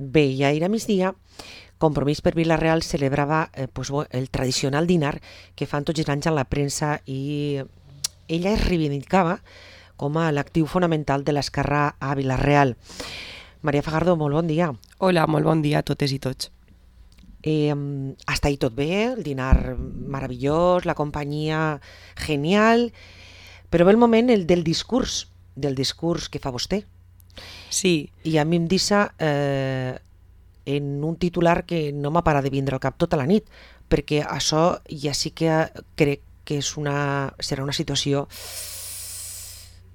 Bé, i ahir a migdia, Compromís per Vila-real celebrava el tradicional dinar que fan tots els anys a la premsa i ella es reivindicava com a l'actiu fonamental de l'esquerra a Vila-real. Maria Fajardo, molt bon dia. Hola, molt bon dia a totes i tots. Hasta ahí tot bé, el dinar meravellós, la companyia genial, però ve el moment del discurs que fa vostè. Sí. I a mi em deixa en un titular que no m'ha parat de vindre al cap tota la nit, perquè això ja sí que crec que serà una situació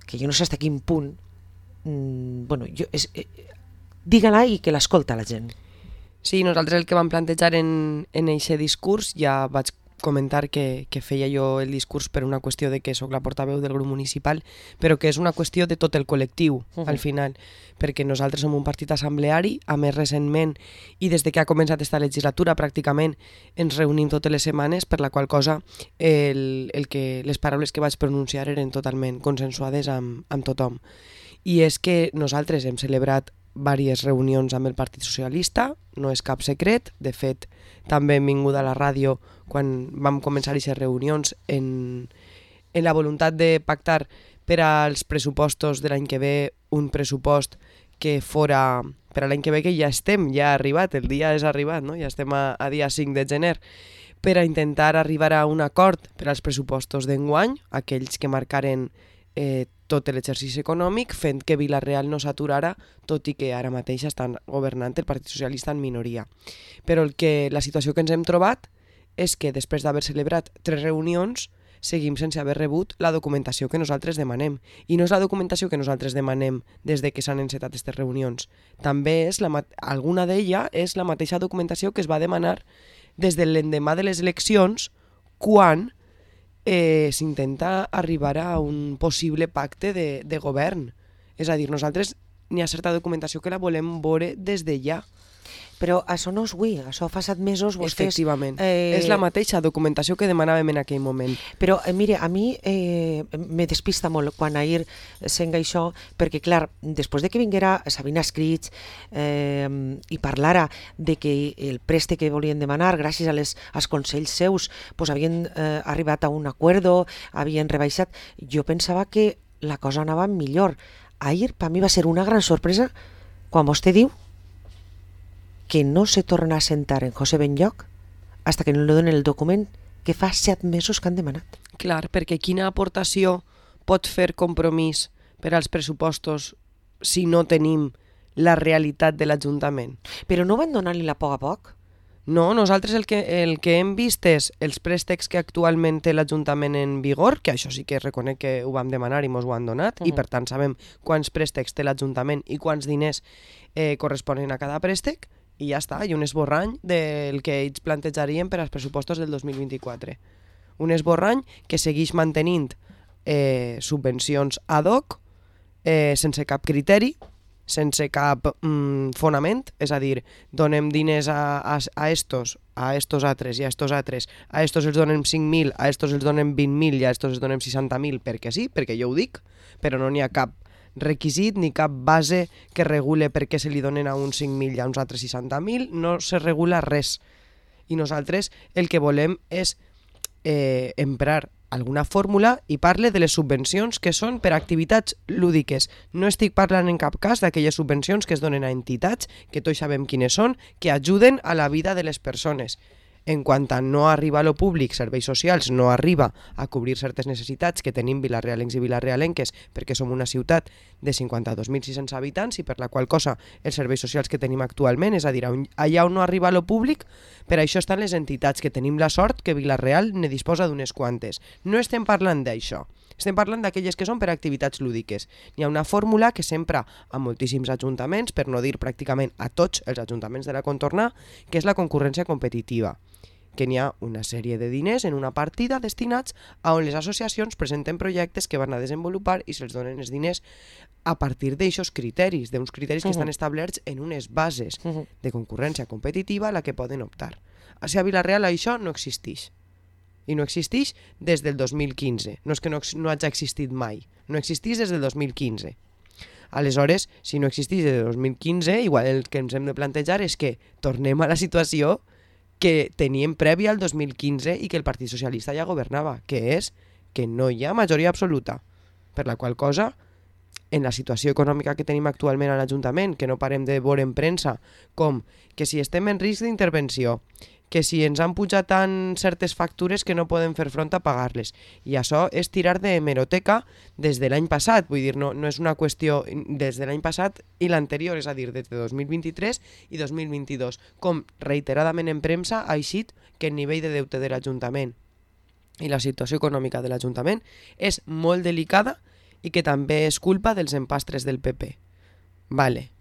que jo no sé fins a quin punt digue-la i que l'escolta la gent. Sí, nosaltres el que vam plantejar en aquest discurs, ja vaig comentar que feia jo el discurs per una qüestió de que sóc la portaveu del grup municipal, però que és una qüestió de tot el col·lectiu, al final, perquè nosaltres som un partit assembleari, a més recentment, i des de que ha començat esta legislatura pràcticament ens reunim totes les setmanes, per la qual cosa les paraules que vaig pronunciar eren totalment consensuades amb tothom. I és que nosaltres hem celebrat diverses reunions amb el Partit Socialista, no és cap secret, de fet també hem vingut a la ràdio quan vam començar aquestes reunions en la voluntat de pactar per als pressupostos de l'any que ve un pressupost que fora per a l'any que ve, que ja ha arribat, el dia és arribat, no? Ja estem a dia 5 de gener, per a intentar arribar a un acord per als pressupostos d'enguany, aquells que marcaren tot l'exercici econòmic, fent que Vila-real no s'aturara, tot i que ara mateix estan governant el Partit Socialista en minoria. Però la situació que ens hem trobat és que després d'haver celebrat 3 reunions seguim sense haver rebut la documentació que nosaltres demanem. I no és la documentació que nosaltres demanem des de que s'han encetat aquestes reunions. També alguna d'ella és la mateixa documentació que es va demanar des de l'endemà de les eleccions, quan s'intenta arribar a un possible pacte de govern. És a dir, nosaltres n'hi ha certa documentació que la volem veure des de ja. Però això no és avui, això fa 7 mesos vostès... Efectivament, és la mateixa documentació que demanàvem en aquell moment. Però, mire, a mi me despista molt quan ahir senga això, perquè, clar, després de que vinguera Sabina Escrits i parlara de que el préstec que volien demanar, gràcies als consells seus, havien arribat a un acuerdo, havien rebaixat, jo pensava que la cosa anava millor. Ahir, per mi, va ser una gran sorpresa quan vostè diu que no se torna a sentar en José Benlloch hasta que no li donen el document que fa 7 mesos que han demanat. Clar, perquè quina aportació pot fer Compromís per als pressupostos si no tenim la realitat de l'Ajuntament? Però no van donar-li la poc a poc? No, nosaltres el que hem vist és els préstecs que actualment té l'Ajuntament en vigor, que això sí que reconec que ho vam demanar i mos ho han donat, i per tant sabem quants préstecs té l'Ajuntament i quants diners corresponen a cada préstec, i ja està, i un esborrany del que ells plantejarien per als pressupostos del 2024. Un esborrany que segueix mantenint subvencions ad hoc, sense cap criteri, sense cap fonament, és a dir, donem diners a estos altres i a estos altres, a estos els donem 5.000, a estos els donem 20.000 i a estos els donem 60.000 perquè sí, perquè jo ho dic, però no n'hi ha cap requisit ni cap base que regule per què se li donen a uns 5.000 i a uns altres 60.000, no se regula res. I nosaltres el que volem és emprar alguna fórmula i parle de les subvencions que són per a activitats lúdiques. No estic parlant en cap cas d'aquelles subvencions que es donen a entitats, que tots sabem quines són, que ajuden a la vida de les persones. En quant a no arriba a lo públic, serveis socials, no arriba a cobrir certes necessitats que tenim vilarealencs i vilarealenques, perquè som una ciutat de 52.600 habitants i per la qual cosa els serveis socials que tenim actualment, és a dir, allà on no arriba a lo públic, per això estan les entitats, que tenim la sort que Vila-real ne disposa d'unes quantes. No estem parlant d'això. Estem parlant d'aquelles que són per a activitats lúdiques. Hi ha una fórmula que s'empra a moltíssims ajuntaments, per no dir pràcticament a tots els ajuntaments de la contorna, que és la concurrència competitiva, que n'hi ha una sèrie de diners en una partida destinats a on les associacions presenten projectes que van a desenvolupar i se'ls donen els diners a partir d'aixòs criteris, d'uns criteris que estan establerts en unes bases de concurrència competitiva a la que poden optar. A Vila-real això no existeix. I no existeix des del 2015. No és que no hagi existit mai. No existeix des del 2015. Aleshores, si no existís des de 2015, igual el que ens hem de plantejar és que tornem a la situació que teníem prèvia al 2015 i que el Partit Socialista ja governava, que és que no hi ha majoria absoluta, per la qual cosa, en la situació econòmica que tenim actualment a l'Ajuntament, que no parem de veure en premsa, com que si estem en risc d'intervenció, que si ens han pujat tant certes factures que no podem fer front a pagar-les. I això és tirar de hemeroteca des de l'any passat, vull dir, no és una qüestió des de l'any passat i l'anterior, és a dir, des de 2023 i 2022, com reiteradament en premsa ha eixit que el nivell de deute de l'Ajuntament i la situació econòmica de l'Ajuntament és molt delicada i que també és culpa dels empastres del PP. Vale.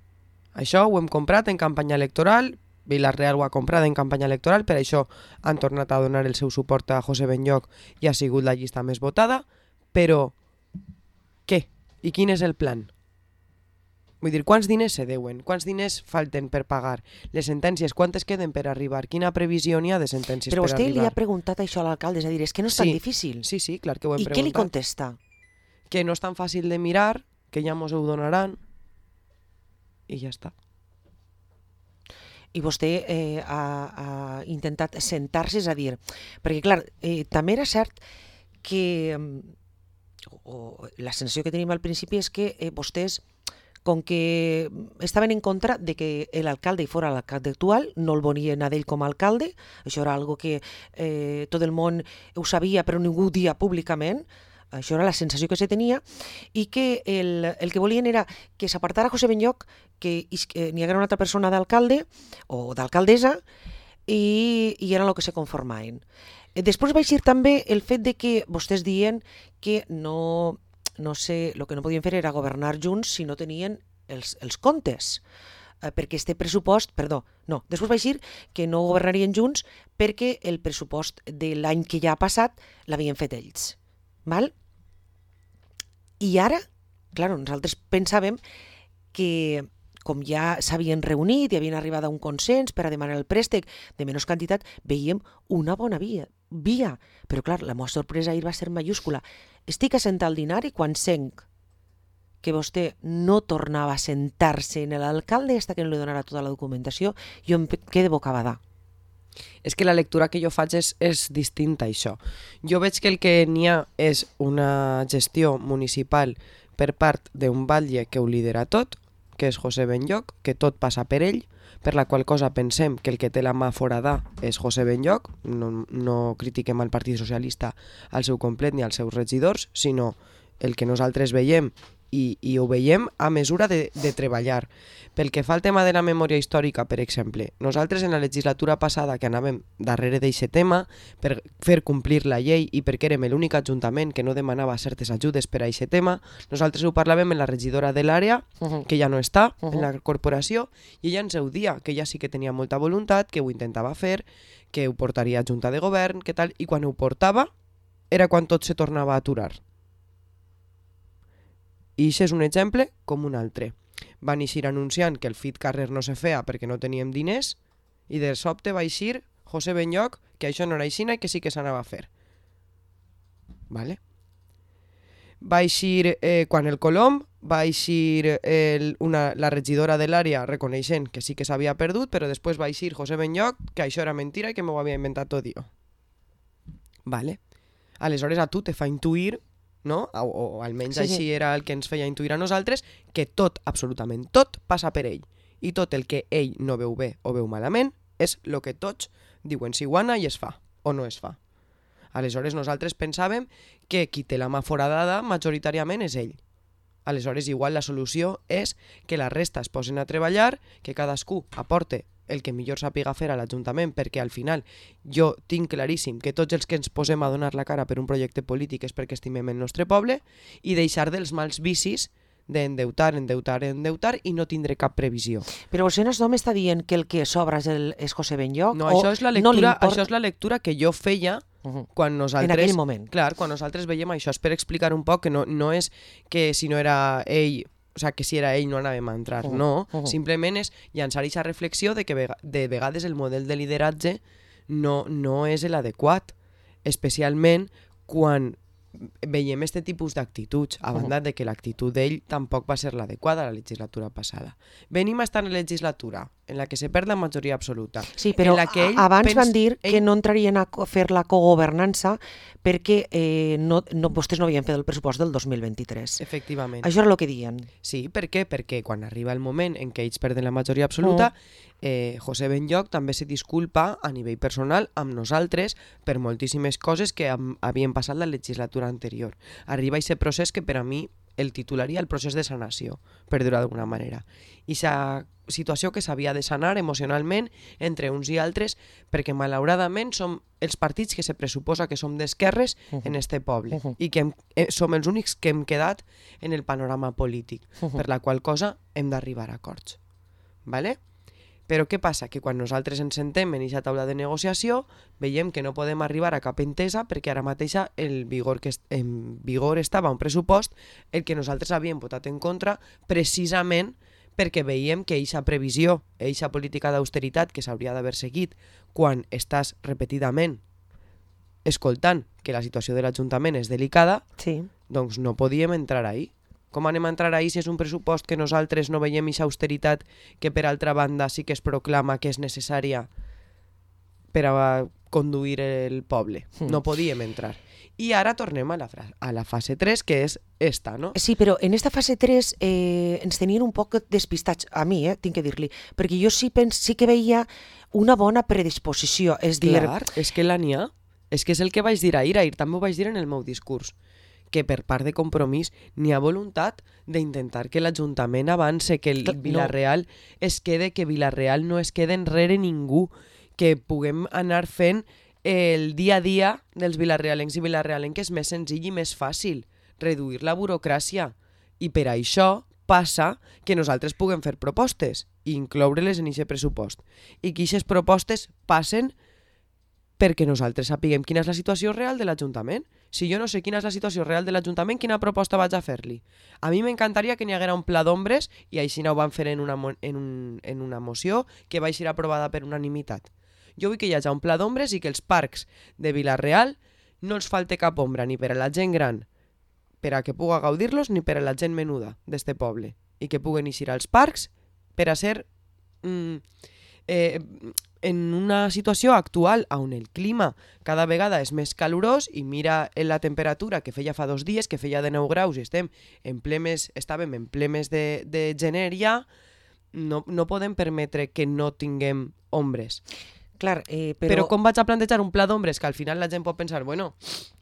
Això ho hem comprat en campanya electoral, Vila-real ho ha comprat en campanya electoral, per això han tornat a donar el seu suport a José Benlloch i ha sigut la llista més votada, però què? I quin és el plan? Vull dir, quants diners se deuen? Quants diners falten per pagar? Les sentències, quantes queden per arribar? Quina previsió n'hi ha de sentències per arribar? Però vostè li ha preguntat això a l'alcalde, és a dir, és que no és tan difícil. Sí, clar que ho hem preguntat. I què li contesta? Que no és tan fàcil de mirar, que ja mos ho donaran, i ja està. I vostè ha intentat sentar-se, és a dir, perquè clar, també era cert que la sensació que tenim al principi és que vostès, com que estaven en contra de que l'alcalde fora l'alcalde actual, no el volien a d'ell com a alcalde, això era algo que tot el món ho sabia però ningú ho dia públicament, això era la sensació que se tenia, i que el que volien era que s'apartara José Benlloch, que n'hi haguera una altra persona d'alcalde o d'alcaldessa, i era el que se conformaven. Després va eixir també el fet de que vostès diuen que no sé, el que no podien fer era governar junts si no tenien els comptes, perquè este pressupost, després va eixir que no governarien junts perquè el pressupost de l'any que ja ha passat l'havien fet ells. Val? I ara, clar, nosaltres pensàvem que com ja s'havien reunit i havien arribat a un consens per a demanar el préstec de menys quantitat, veiem una bona via. Però clar, la meva sorpresa ahir va ser mayúscula. Estic assentat al dinar i quan senc que vostè no tornava a sentar-se en l'alcalde fins que no li donara tota la documentació, jo em quedé bocabadà. És que la lectura que jo faig és distinta a això. Jo veig que el que n'hi ha és una gestió municipal per part d'un batlle que ho lidera tot, que és José Benlloch, que tot passa per ell, per la qual cosa pensem que el que té la mà forada és José Benlloch, no critiquem al Partit Socialista al seu complet ni als seus regidors, sinó el que nosaltres veiem i ho veiem a mesura de treballar. Pel que fa al tema de la memòria històrica, per exemple, nosaltres en la legislatura passada que anàvem darrere d'aquest tema per fer complir la llei i perquè érem l'únic ajuntament que no demanava certes ajudes per a aquest tema, nosaltres ho parlàvem amb la regidora de l'àrea, que ja no està en la corporació, i ella ens ho dia, que ella sí que tenia molta voluntat, que ho intentava fer, que ho portaria a Junta de Govern, que tal, i quan ho portava era quan tot se tornava a aturar. I això és un exemple com un altre. Van eixir anunciant que el FIT Carrer no se feia perquè no teníem diners i de sobte va eixir José Benlloch que això no era aixina i que sí que s'anava a fer. Vale? Va eixir quan el Colom, va eixir la regidora de l'àrea reconeixent que sí que s'havia perdut, però després va eixir José Benlloch que això era mentira i que m'ho havia inventat tot jo. Vale? Aleshores a tu te fa intuir, no? O almenys així era el que ens feia intuir a nosaltres, que tot, absolutament tot, passa per ell. I tot el que ell no veu bé o veu malament és el que tots diuen si guana i es fa, o no es fa. Aleshores nosaltres pensàvem que qui té la mà foradada majoritàriament és ell. Aleshores igual la solució és que la resta es posen a treballar, que cadascú aporte el que millor sàpiga fer a l'Ajuntament, perquè al final jo tinc claríssim que tots els que ens posem a donar la cara per un projecte polític és perquè estimem el nostre poble, i deixar dels mals vicis d'endeutar i no tindre cap previsió. Però vostè no m'està dient que el que sobra és José Benlloch? No, això és la lectura que jo feia quan nosaltres... En aquell moment. Clar, quan nosaltres veiem això, és per explicar un poc que no és que si no era ell... O sigui, que si era ell no anàvem a entrar, no. Simplement és llançar aquesta reflexió de que de vegades el model de lideratge no és l'adequat, especialment quan veiem este tipus d'actituds, a banda de que l'actitud d'ell tampoc va ser l'adequada la legislatura passada. Venim a estar en la legislatura en la que se perd la majoria absoluta. Sí, però en la que abans van dir que no entrarien a fer la cogovernança perquè vostès no havien fet el pressupost del 2023. Efectivament. Això era el que diuen. Sí, per què? Perquè quan arriba el moment en què ells perden la majoria absoluta, José Benlloch també se disculpa a nivell personal amb nosaltres per moltíssimes coses que havien passat la legislatura anterior. Arriba aquest procés que per a mi el titularia el procés de sanació, per dir-ho d'alguna manera. I aquesta situació que s'havia de sanar emocionalment entre uns i altres, perquè malauradament som els partits que se pressuposa que som d'esquerres en este poble i que som els únics que hem quedat en el panorama polític, per la qual cosa hem d'arribar a acords. Vale? Però què passa? Que quan nosaltres ens sentem en aquesta taula de negociació veiem que no podem arribar a cap entesa perquè ara mateixa en vigor estava un pressupost el que nosaltres havíem votat en contra precisament perquè veiem que eixa previsió, eixa política d'austeritat que s'hauria d'haver seguit quan estàs repetidament escoltant que la situació de l'Ajuntament és delicada, doncs no podíem entrar ahí. Com anem a entrar ahí si és un pressupost que nosaltres no veiem eixa austeritat que per altra banda sí que es proclama que és necessària per a conduir el poble? No podíem entrar. I ara tornem a la fase 3, que és esta, no? Sí, però en esta fase 3 ens tenien un poc despistats, a mi, tinc que dir-li, perquè jo sí que veia una bona predisposició, és dir... Clar, és que la n'hi ha. És que és el que vaig dir ahir també ho vaig dir en el meu discurs, que per part de Compromís n'hi ha voluntat d'intentar que l'Ajuntament avance, que el Vila-real es quede, que Vila-real no es quede enrere ningú, que puguem anar fent el dia a dia dels vilarealencs i vilarealenques més senzill i més fàcil, reduir la burocràcia. I per això passa que nosaltres puguem fer propostes i incloure-les en aquest pressupost. I que aquestes propostes passen perquè nosaltres sapiguem quina és la situació real de l'Ajuntament. Si jo no sé quina és la situació real de l'Ajuntament, quina proposta vaig a fer-li? A mi m'encantaria que n'hi haguera un pla d'ombres, i així no ho van fer en una moció que va ser aprovada per unanimitat. Jo vull que hi hagi un pla d'ombres i que els parcs de Vila-real no els falte cap ombra, ni per a la gent gran, per a que puga gaudir-los, ni per a la gent menuda d'este poble. I que puguen eixir als parcs per a ser en una situació actual on el clima cada vegada és més calorós i mira la temperatura que feia fa 2 dies, que feia de 9 graus i estàvem en ple mes de gener ja, no podem permetre que no tinguem ombres. Clar, però com vaig a plantejar un pla d'ombres que al final la gent pot pensar, bueno,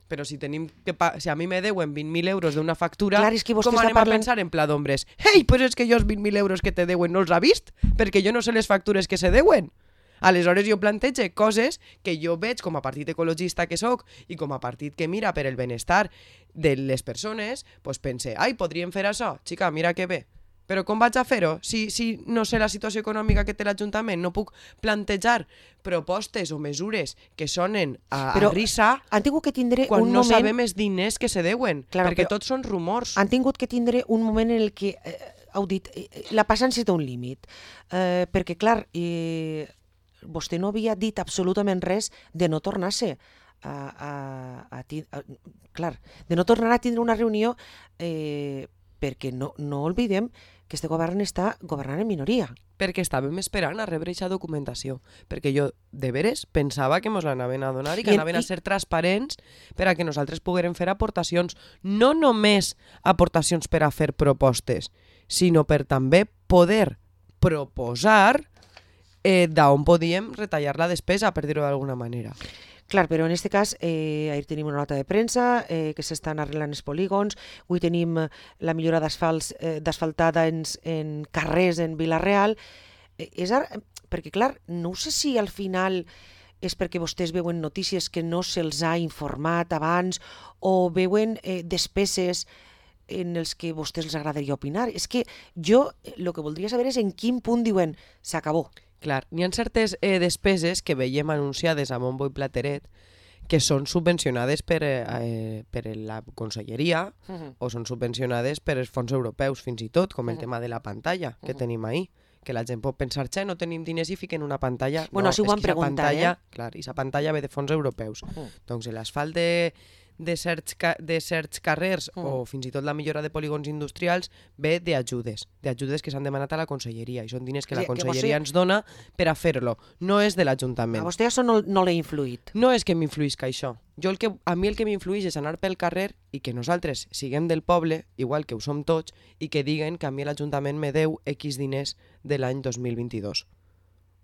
però si a mi me deuen 20.000 euros d'una factura, clar, és que com anem a pensar en pla d'ombres? Ei, però és que jo els 20.000 euros que te deuen no els ha vist, perquè jo no sé les factures que se deuen. Aleshores jo plantege coses que jo veig com a partit ecologista que sóc i com a partit que mira per el benestar de les persones, doncs pense, ai, podríem fer això, xica, mira que bé. Però com vaig a fer-ho? Si no sé la situació econòmica que té l'Ajuntament, no puc plantejar propostes o mesures que sonen a risa quan no sabem els diners que se deuen, perquè tots són rumors. Han tingut que tindre un moment en el que heu dit, la paciència té un límit, perquè clar, vostè no havia dit absolutament res de no tornar-se de no tornar a tindre una reunió, perquè no oblidem que este govern està governant en minoria. Perquè estàvem esperant a rebre aquesta documentació, perquè jo de veres pensava que ens l'anaven a donar i que anaven a ser transparents per a que nosaltres poguérem fer aportacions, no només aportacions per a fer propostes, sinó per també poder proposar d'on podíem retallar la despesa, per dir-ho d'alguna manera. Clar, però en aquest cas, ahir tenim una nota de premsa que s'estan arreglant els polígons, avui tenim la millora d'asfaltada en carrers en Vila-real, perquè clar, no sé si al final és perquè vostès veuen notícies que no se'ls ha informat abans o veuen despeses en els que a vostès els agradaria opinar. És que jo el que voldria saber és en quin punt diuen s'acabó. Clar, n'hi ha certes despeses que veiem anunciades a bombo i plateret que són subvencionades per la conselleria o són subvencionades per els fons europeus fins i tot, com el tema de la pantalla que tenim ahí, que la gent pot pensar, no tenim diners i fiquen una pantalla. Bueno, no, si ho van preguntar, Clar, i la pantalla ve de fons europeus. Doncs l'asfalt de certs carrers o fins i tot la millora de polígons industrials ve d'ajudes que s'han demanat a la conselleria i són diners que la conselleria ens dona per a fer-lo, no és de l'Ajuntament. A vostè això no l'ha influït? No és que m'influïsca això. A mi el que m'influïx és anar pel carrer i que nosaltres siguem del poble, igual que ho som tots, i que diguen que a mi l'Ajuntament me deu X diners de l'any 2022.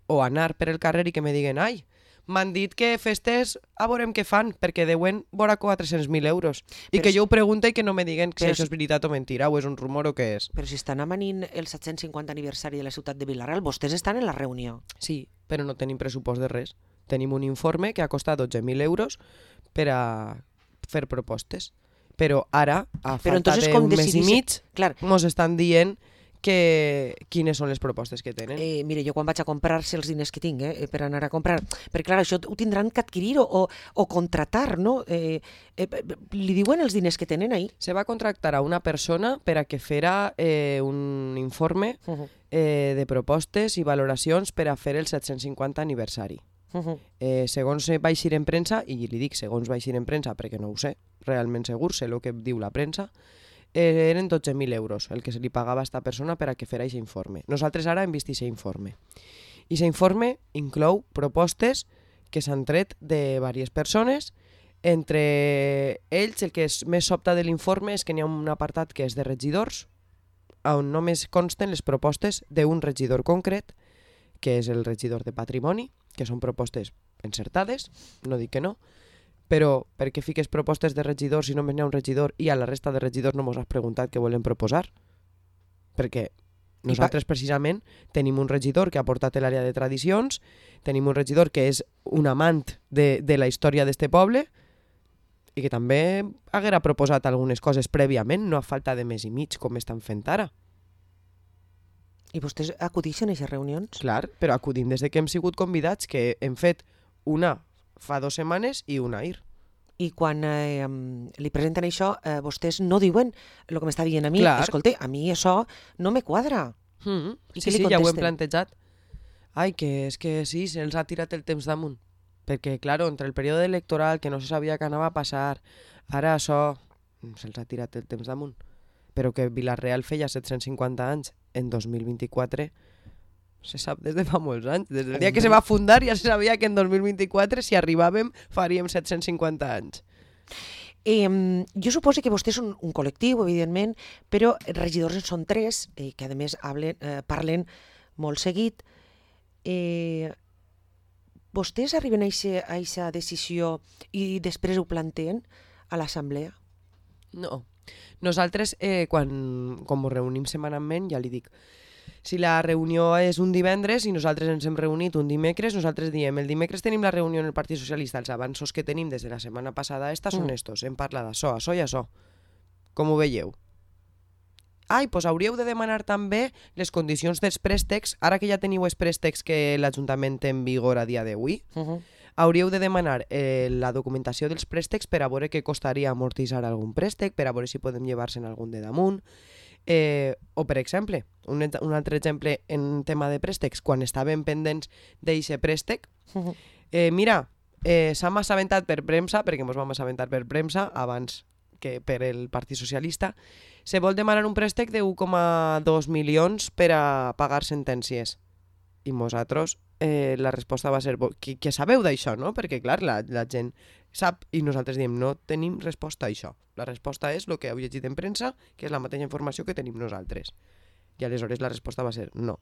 O anar per el carrer i que me diguen ai, m'han dit que festes a veurem què fan, perquè deuen vora 400.000 euros. I que jo ho pregunte i que no me diguen si això és veritat o mentira, o és un rumor o què és. Però si estan amanint el 750 aniversari de la ciutat de Vila-real, vostès estan en la reunió. Sí, però no tenim pressupost de res. Tenim un informe que ha costat 12.000 euros per a fer propostes. Però ara, a falta d'un mes i mig, mos estan dient quines són les propostes que tenen. Mire, jo quan vaig a comprar, si els diners que tinc per anar a comprar, perquè clar, això ho tindran que adquirir o contratar, no? Li diuen els diners que tenen ahí? Se va contractar a una persona per a que fera un informe de propostes i valoracions per a fer el 750 aniversari. Segons va eixir en premsa, i li dic segons va eixir en premsa perquè no ho sé, realment segur, sé el que diu la premsa, eren 12.000 euros el que se li pagava a aquesta persona per a que fera aquest informe. Nosaltres ara hem vist aquest informe. I aquest informe inclou propostes que s'han tret de diverses persones. Entre ells, el que és més sobta de l'informe és que n'hi ha un apartat que és de regidors, on només consten les propostes d'un regidor concret, que és el regidor de Patrimoni, que són propostes encertades, no dic que no, però per què fiques propostes de regidors si només n'hi ha un regidor i a la resta de regidors no mos has preguntat què volen proposar? Perquè nosaltres precisament tenim un regidor que ha portat l'àrea de tradicions, tenim un regidor que és un amant de la història d'este poble i que també haguera proposat algunes coses prèviament, no a falta de mes i mig com estan fent ara. I vostès acudixen a aquestes reunions? Clar, però acudim des que hem sigut convidats, que hem fet una fa 2 setmanes i una ahir. I quan li presenten això, vostès no diuen el que m'està dient a mi. Clar. Escolta, a mi això no me quadra. I sí, ja ho hem plantejat. Ai, que és que sí, se'ls ha tirat el temps damunt. Perquè, clar, entre el període electoral, que no se sabia què anava a passar, ara això se'ls ha tirat el temps damunt. Però que Vila-real feia 750 anys en 2024 se sap des de fa molts anys. Des del dia que se va fundar ja se sabia que en 2024, si arribàvem, faríem 750 anys. Jo suposo que vostès són un col·lectiu, evidentment, però regidors en són 3, que a més parlen molt seguit. Vostès arriben a aquesta decisió i després ho planteen a l'assemblea? No. Nosaltres, com ens reunim setmanalment, ja li dic, si la reunió és un divendres i nosaltres ens hem reunit un dimecres, nosaltres diem, el dimecres tenim la reunió en el Partit Socialista, els avanços que tenim des de la setmana passada són estos, hem parlat d'això, això i això. Com ho veieu? Ai, doncs hauríeu de demanar també les condicions dels préstecs, ara que ja teniu els préstecs que l'Ajuntament té en vigor a dia d'avui, hauríeu de demanar la documentació dels préstecs per a veure què costaria amortitzar algun préstec, per a veure si podem llevar-se'n algun de damunt. O, per exemple, un altre exemple en tema de préstecs, quan estàvem pendents d'aquest préstec, mira, s'ha assabentat per premsa, perquè ens vam assabentar per premsa abans que per el Partit Socialista, se vol demanar un préstec de 1,2 milions per a pagar sentències. I nosaltres, la resposta va ser que sabeu d'això, no? Perquè, clar, la gent sap i nosaltres diem no tenim resposta a això. La resposta és el que heu llegit en premsa, que és la mateixa informació que tenim nosaltres. I aleshores la resposta va ser no.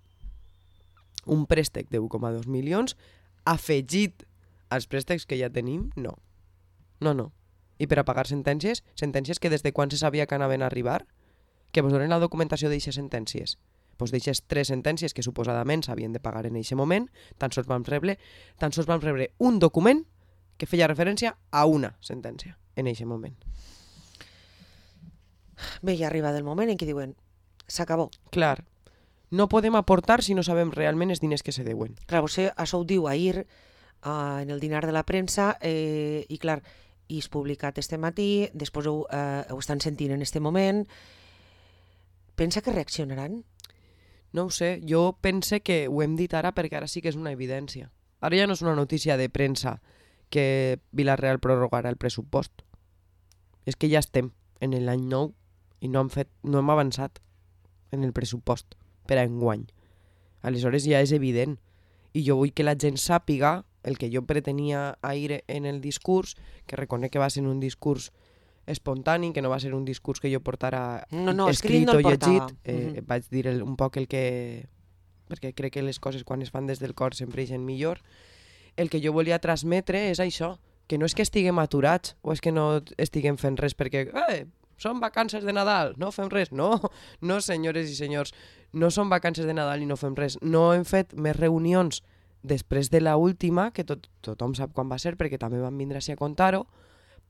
Un préstec de 1,2 milions afegit als préstecs que ja tenim, no. No. I per a pagar sentències que des de quan se sabia que anaven a arribar, que vos donen la documentació d'eixes sentències. Doncs d'eixes 3 sentències que suposadament s'havien de pagar en aquest moment, tan sols vam rebre un document que feia referència a una sentència en aquest moment. Bé, ja arriba el moment en què diuen s'acabó. Clar, no podem aportar si no sabem realment els diners que se deuen. Clar, vostè això ho diu ahir en el dinar de la premsa i clar, i és publicat este matí, després ho estan sentint en este moment. Pensa que reaccionaran? No ho sé, jo pense que ho hem dit ara perquè ara sí que és una evidència. Ara ja no és una notícia de premsa que Vila-real prorrogarà el pressupost. És que ja estem en l'any nou i no hem avançat en el pressupost per a enguany. Aleshores ja és evident. I jo vull que la gent sàpiga el que jo pretenia ahir en el discurs, que reconec que va ser un discurs espontani, que no va ser un discurs que jo portara escrit o llegit. Vaig dir un poc el que... perquè crec que les coses quan es fan des del cor sempre ixen millor. El que jo volia transmetre és això, que no és que estiguem aturats o és que no estiguem fent res perquè són vacances de Nadal, no fem res. No, senyores i senyors, no són vacances de Nadal i no fem res. No hem fet més reunions després de la última, que tothom sap quan va ser perquè també van vindre així a contar-ho,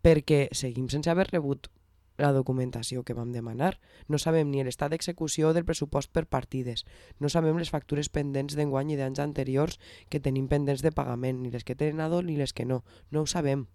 perquè seguim sense haver rebut la documentació que vam demanar. No sabem ni l'estat d'execució del pressupost per partides. No sabem les factures pendents d'enguany i d'anys anteriors que tenim pendents de pagament, ni les que tenen a ni les que no. No ho sabem.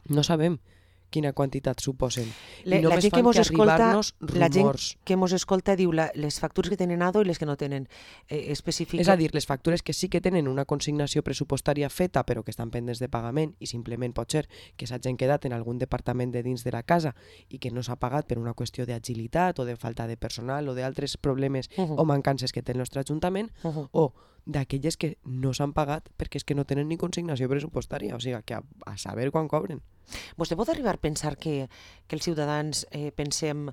No sabem quina quantitat suposen. I només fan que arribar-nos rumors. La gent que mos escolta diu les factures que tenen ADO i les que no tenen específiques. És a dir, les factures que sí que tenen una consignació pressupostària feta però que estan pendents de pagament i simplement pot ser que s'hagin quedat en algun departament de dins de la casa i que no s'ha pagat per una qüestió d'agilitat o de falta de personal o d'altres problemes o mancances que té el nostre Ajuntament, o d'aquelles que no s'han pagat perquè és que no tenen ni consignació pressupostària, o sigui, que a saber quan cobren. Vostè pot arribar a pensar que els ciutadans pensem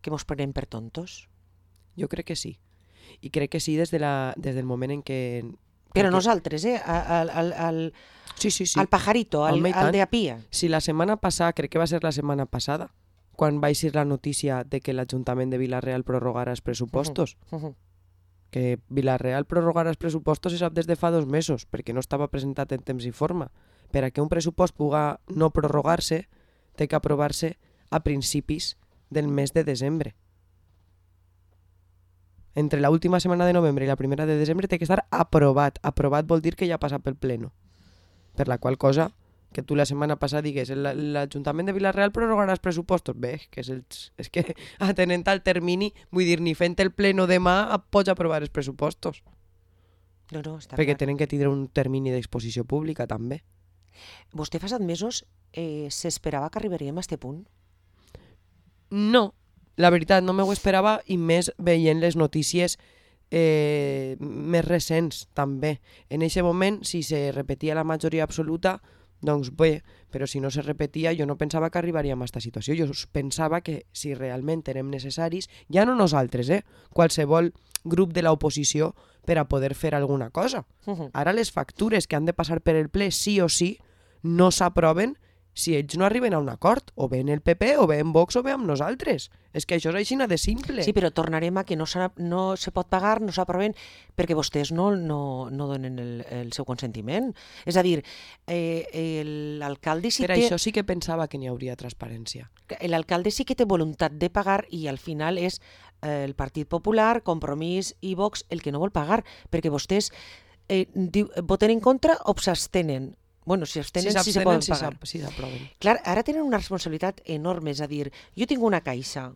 que mos prenem per tontos? Jo crec que sí. I crec que sí des del moment en què... Però nosaltres, Sí. Al pajarito, al de a pia. Si la setmana passada, crec que va ser la setmana passada, quan va eixir la notícia de que l'Ajuntament de Vila-real prorrogara els pressupostos, que Vila-real prorrogara els pressupostos se sap des de fa 2 mesos, perquè no estava presentat en temps i forma. Per a que un pressupost puga no prorrogar-se, té que aprovar-se a principis del mes de desembre. Entre la última setmana de novembre i la primera de desembre té que estar aprovat. Aprovat vol dir que ja ha passat pel pleno. Per la qual cosa, que tu la setmana passada digues l'Ajuntament de Vila-real prorrogarà els pressupostos. Bé, que és que atenent al termini, vull dir, ni fent el pleno demà pots aprovar els pressupostos. No, està perquè clar. tenen que tindre un termini d'exposició pública també. Vostè fa 7 mesos s'esperava que arribaríem a este punt? No, la veritat, no m'ho esperava, i més veient les notícies més recents també. En aquest moment, si se repetia la majoria absoluta, doncs bé, però si no se repetia, jo no pensava que arribaríem a aquesta situació. Jo pensava que si realment érem necessaris, ja no nosaltres, qualsevol grup de l'oposició, per a poder fer alguna cosa. Ara les factures que han de passar per el ple sí o sí no s'aproven si ells no arriben a un acord, o bé en el PP, o bé en Vox, o bé amb nosaltres. És que això és així de simple. Sí, però tornarem a que no se pot pagar, no s'aproven, perquè vostès no donen el seu consentiment. És a dir, l'alcalde sí per això sí que pensava que n'hi hauria transparència. L'alcalde sí que té voluntat de pagar i al final és el Partit Popular, Compromís i Vox el que no vol pagar, perquè vostès voten en contra o s'abstenen. Bueno, si abstenen, sí se poden pagar. Si s'aproven. Clar, ara tenen una responsabilitat enorme, és a dir, jo tinc una caixa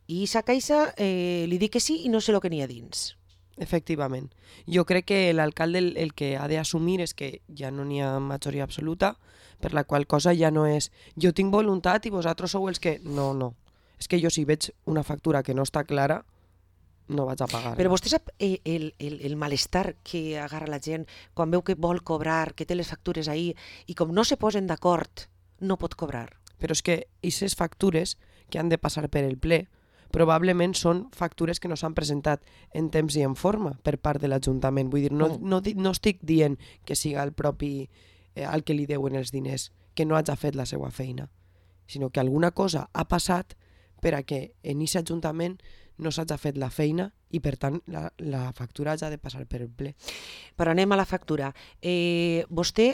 i aquesta caixa li dic que sí i no sé el que n'hi ha dins. Efectivament. Jo crec que l'alcalde el que ha d'assumir és que ja no n'hi ha majoria absoluta, per la qual cosa ja no és jo tinc voluntat i vosaltres sou els que... No. És que jo si veig una factura que no està clara, no vaig a pagar. Però vostè sap el malestar que agarra la gent quan veu que vol cobrar, que té les factures ahí, i com no se posen d'acord, no pot cobrar. Però és que aquestes factures que han de passar per el ple probablement són factures que no s'han presentat en temps i en forma per part de l'Ajuntament. Vull dir, no estic dient que siga el propi al que li deuen els diners que no hagi fet la seva feina, sinó que alguna cosa ha passat per a que en aquest Ajuntament no s'hagi fet la feina i, per tant, la factura hagi de passar per el ple. Però anem a la factura. Vostè,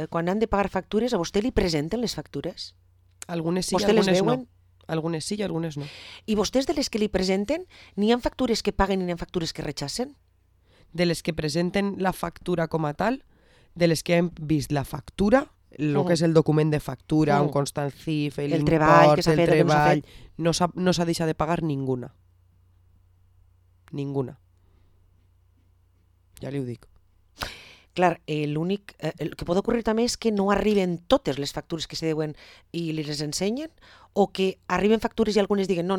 quan han de pagar factures, a vostè li presenten les factures? Algunes sí i vostè les algunes veuen? no. Algunes sí i algunes no. I vostès de les que li presenten, n'hi ha factures que paguen i n'hi ha factures que rechacen? De les que presenten la factura com a tal, de les que hem vist la factura, el que és el document de factura, un constant CIF, el treball que s'ha fet, el treball, no s'ha deixat de pagar ninguna. Ninguna. Ja li ho dic. clar, l'únic... el que pot ocórrer també és que no arriben totes les factures que se deuen i les ensenyen, o que arriben factures i algunes diguen no,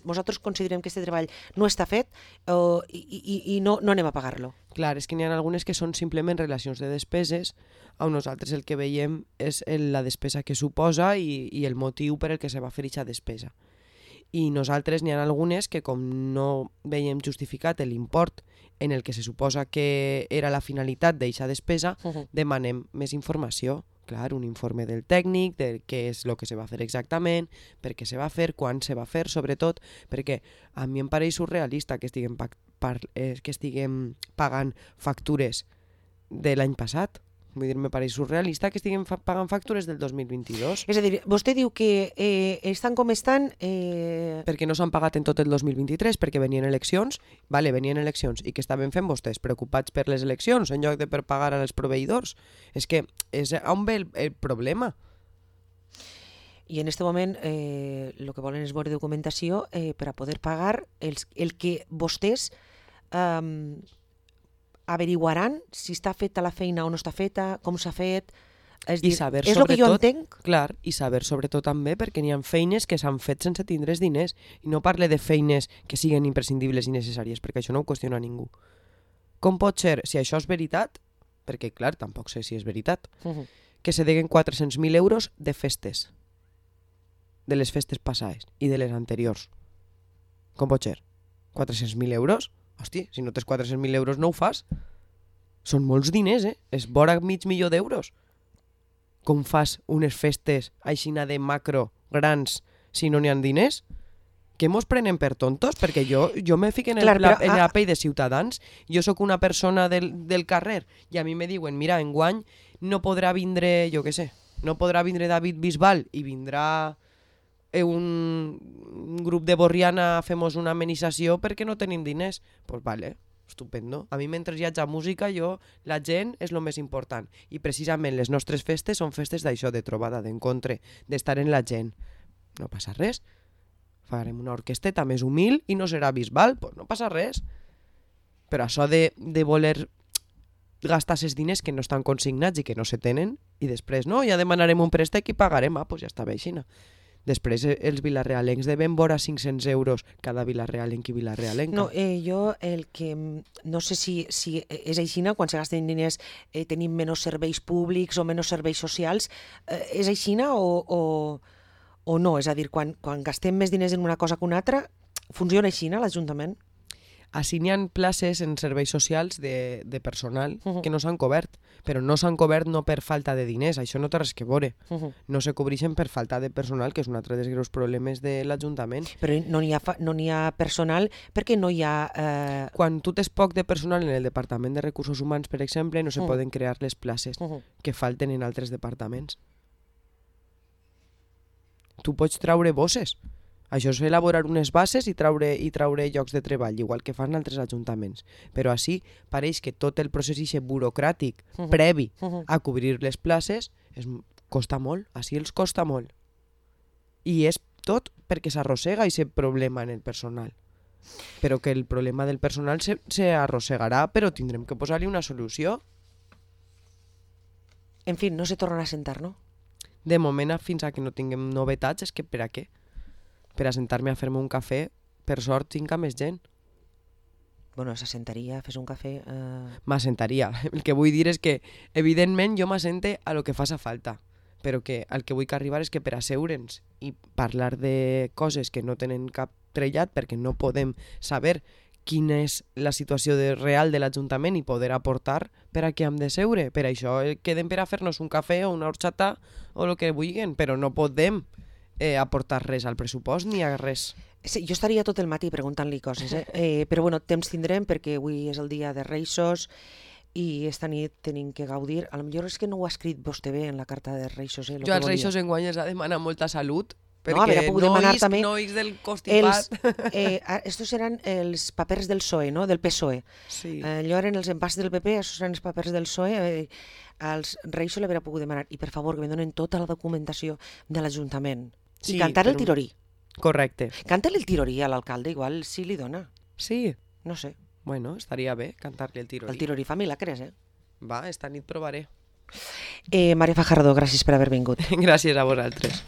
nosaltres considerem que aquest treball no està fet i no anem a pagar-lo. Clar, és que n'hi ha algunes que són simplement relacions de despeses, on nosaltres el que veiem és la despesa que suposa i el motiu per el que se va fer aquesta despesa. I nosaltres n'hi ha algunes que, com no veiem justificat l'import en el que se suposa que era la finalitat d'aquesta despesa, demanem més informació. Clar, un informe del tècnic, de què és el que se va fer exactament, per què se va fer, quan se va fer, sobretot, perquè a mi em pareix surrealista que estiguem pagant factures de l'any passat. Vull dir, me pareix surrealista que estiguem pagant factures del 2022. És a dir, vostè diu que estan com estan... Perquè no s'han pagat en tot el 2023, perquè venien eleccions, venien eleccions, i què estaven fent vostès? Preocupats per les eleccions, en lloc de per pagar als proveïdors. És que és on ve el problema. I en aquest moment el que volen és veure documentació per a poder pagar el que vostès... averiguaran si està feta la feina o no està feta, com s'ha fet... És el que jo entenc. Clar, i saber sobretot també perquè n'hi ha feines que s'han fet sense tindre diners, i no parle de feines que siguen imprescindibles i necessàries, perquè això no ho qüestiona ningú. Com pot ser, si això és veritat, perquè clar, tampoc sé si és veritat, que se deguen 400.000 euros de festes, de les festes passades i de les anteriors? Com pot ser? 400.000 euros? Hosti, si no tens 400.000 euros no ho fas. Són molts diners, És vora $500.000 d'euros. Com fas unes festes aixina de macro grans si no n'hi ha diners? Que mos prenen per tontos? Perquè jo me fico en la pell de ciutadans. Jo sóc una persona del carrer i a mi me diuen, mira, enguany no podrà vindre, jo què sé, no podrà vindre David Bisbal i vindrà un grup de Borriana a fer-nos una amenització perquè no tenim diners. Pues vale, estupendo. A mi mentre hi hagi música, la gent és el més important. I precisament les nostres festes són festes d'això, de trobada, d'encontre, d'estar en la gent. No passa res. Farem una orquesteta més humil i no serà Bisbal, pues no passa res. Però això de voler gastar aquests diners que no estan consignats i que no se tenen, i després no, ja demanarem un préstec i pagarem, pues ja està bé així. Després els vilarealencs deben vora 500 euros cada vilarealenc i vilarealenca. No, jo el que... No sé si és així, quan se gasten diners tenim menys serveis públics o menys serveis socials. És així o no? És a dir, quan gastem més diners en una cosa que una altra, funciona així l'Ajuntament? Així n'hi ha places en serveis socials de personal que no s'han cobert, però no s'han cobert no per falta de diners, això no té res que veure. No se cobreixen per falta de personal, que és un altre dels greus problemes de l'Ajuntament. Però no n'hi ha personal perquè no hi ha... Quan tu tens poc de personal en el Departament de Recursos Humans, per exemple, no se poden crear les places que falten en altres departaments. Tu pots traure bosses. Això és elaborar unes bases i traure llocs de treball, igual que fan altres ajuntaments. Però així pareix que tot el procés burocràtic previ a cobrir les places costa molt, així els costa molt. I és tot perquè s'arrossega aquest problema en el personal. Però que el problema del personal s'arrossegarà, però tindrem que posar-li una solució. En fi, no se tornarà a sentar, no? De moment, fins a que no tinguem novetats, és que per a què? Per a sentar-me a fer-me un cafè, per sort tinc a més gent. Bueno, s'assentaria, fes un cafè... M'assentaria. El que vull dir és que, evidentment, jo m'assente a lo que faça falta, però que el que vull que arribar és que per asseure'ns i parlar de coses que no tenen cap trellat, perquè no podem saber quina és la situació real de l'Ajuntament i poder aportar per a què hem de seure. Per això quedem per a fer-nos un cafè o una horxata o el que vulguin, però no podem aportar res al pressupost ni a res. Sí, jo estaria tot el matí preguntant-li coses, però bueno, temps tindrem perquè avui és el dia de Reixos i esta nit tenim que gaudir. A lo millor és que no ho ha escrit vostè bé en la carta de Reixos. Jo als Reixos enguany els ha demanat molta salut, perquè no isc del constipat. Estos eren els papers del PSOE, no? Del PSOE. Sí. Allò eren els empats del PP, estos eren els papers del PSOE. Als Reixos l'haurà pogut demanar. I per favor, que me donen tota la documentació de l'Ajuntament. I cantar el tirorí. Correcte. Canta-li el tirorí a l'alcalde, igual si li dona. Sí. No sé. Bueno, estaria bé cantar-li el tirorí. El tirorí fa milagres, Va, esta nit provaré. Maria Fajardo, gràcies per haver vingut. Gràcies a vosaltres.